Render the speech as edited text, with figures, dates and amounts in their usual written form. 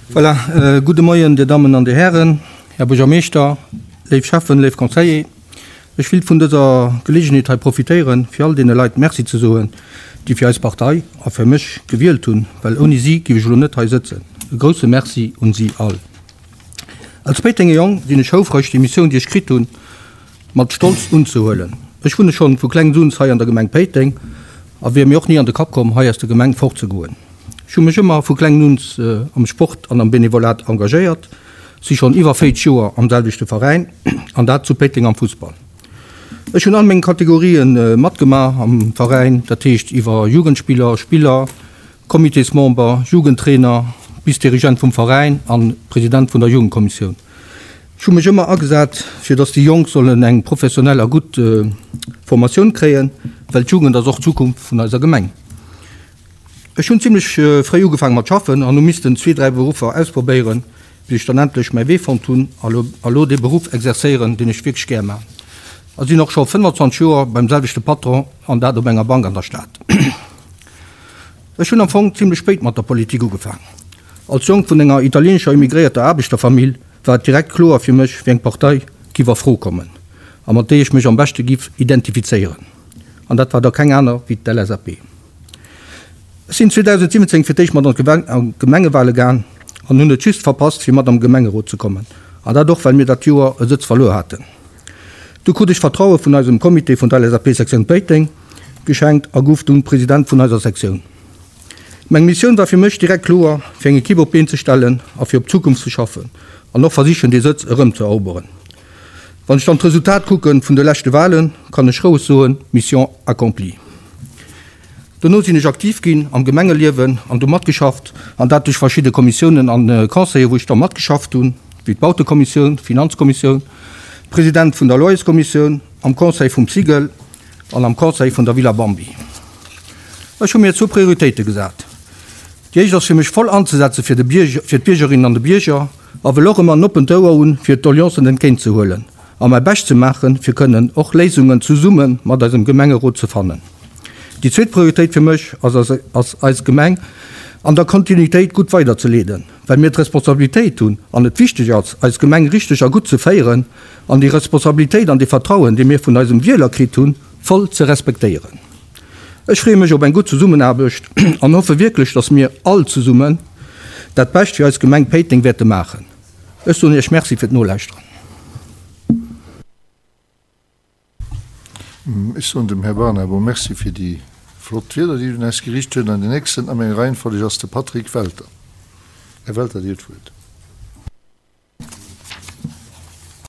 Voilà, gudde Moien, Dir Dammen an Dir Hären, Här Buergermeeschter, léif Schäffen, léif Conseiller. Ech willt vun dëser Geleegenheet hei profitéieren, fir all deene Leit Merci ze soen, déi fir eis Partei a fir mech gewielt hunn, well ouni si giff ech elo net hei sëtzen. E grousse Merci un si all. Als Péitenger Jong sinn ech houfreg, déi Missioun, déi ech kritt hunn, mat Stolz unzehuelen. Ech wunne schonn vu klengs un hei an der Gemeng Péiteng a wier mir och ni an de Kapp komm, hei aus der Gemeng fortzegoen. Ech hu mech ëmmer vu klengen un am Sport an am Benevolat engagéiert, si schonn iwwer 40 Joer am selwechte Veräin an dat zu Péiteng am Fussball. Ech hunn all meng Kategorien matgemaach am Veräin, dat heescht iwwer Jugendspiller, Spiller, Comitésmember, Jugendtrainer bis Dirigent vum Veräin an President vun der Jugendkommissioun. Ech hu mech ëmmer agesat, fir datt déi Jonk sollen eng professionell a gutt Formatioun kréien, well d'Jugend ass och d'Zukunft vun eiser Gemeng. Ech hunn zimlech fréi ugefaange mat schaffen an hu missten zwee, dräi Beruffer ausprobéieren, bis ech dann endlech mäi Wee fonnt hunn a lo dee Beruff exerzéieren, deen ech wierklech gär man. A sinn och scho 25 Joer beim selwechte Patron an dat op enger Bank an der Stad. Ech hunn am Fong zimlech spéit mat der Politik ugefaang. Als Jong vun enger italienescher immigréierter Aarbechterfamill war et direkt kloer fir mech, wéi eng Partei giff a Fro kommen a mat déi ech mech am beschte giff identifizéieren. An dat war da keng aner wéi d'LSAP. Ech sinn 2017 fir d'éischt mat an d'Gemengewale gaang an hunn et just verpasst fir mat am Gemengerot ze kommen, an dat och well mir dat Joer e Sëtz verluer haten. Du krut ech Vertraue vun eisem Comité vun der LSAP Sektioun Péiteng geschenkt a gouf dunn President vun eiser Sektioun. Meng Missioun war fir mech direkt kloer, fir eng Equipe op d'Been ze stellen a fir op d'Zukunft ze schaffen an och versichen dee Sëtz erëm ze eroberen. Wann ech dann d'Resultat kucken vun de leschte Wahlen, kann ech roueg soen, Mission accomplie. Dono sinn ech aktiv ginn am Gemengeliewen an do matgeschafft, an dat duerch verschidde Kommissiounen an Conseiller wou ech da matgeschafft hunn, wéi d'Bautekommissioun, d'Finanzkommissioun, President vun der Loyerskommissioun, am Conseil vum Cigl an am Conseil vun der Villa Bambi. Ech hu mir zwou Prioritéite gesat. Déi éischt ass fir mech voll anzesetze fir de Bierger, fir d'Biergerinnen an de Bierger a wëll och ëmmer en oppent Ouer hunn fir d'Doleancen entgéint ze huelen a mäi Bescht ze maachen fir kënnen och Léisungen zesumme mat eisem Gemengerot ze fannen. Déi zweet Prioritéit fir mech ass ass eis Gemeng an der Kontinuitéit gutt weider ze leeden, well mir d'Responsabilitéit hunn an et wichteg ass eis Gemeng richteg a gutt ze féieren an déi Responsabilitéit an dee Vertrauen dee mir vun eisem Wieler kritt hunn voll ze respektéieren. Ech freeë mech op eng gutt Zesummenaarbecht an hoffe wierklech, dass mir all zesummen dat Bescht fir eis Gemeng Péiteng wäerte maachen. Ech soen Iech Merci fir d'Nolauschteren. Ech soen dem Här Barnabo Merci fir déi flott Wierder, déi en un eis geriicht huet. An deen nächsten a menger Reihenfolleg ass de Patrick Welter. Här Welter, Dir hutt d'Wuert.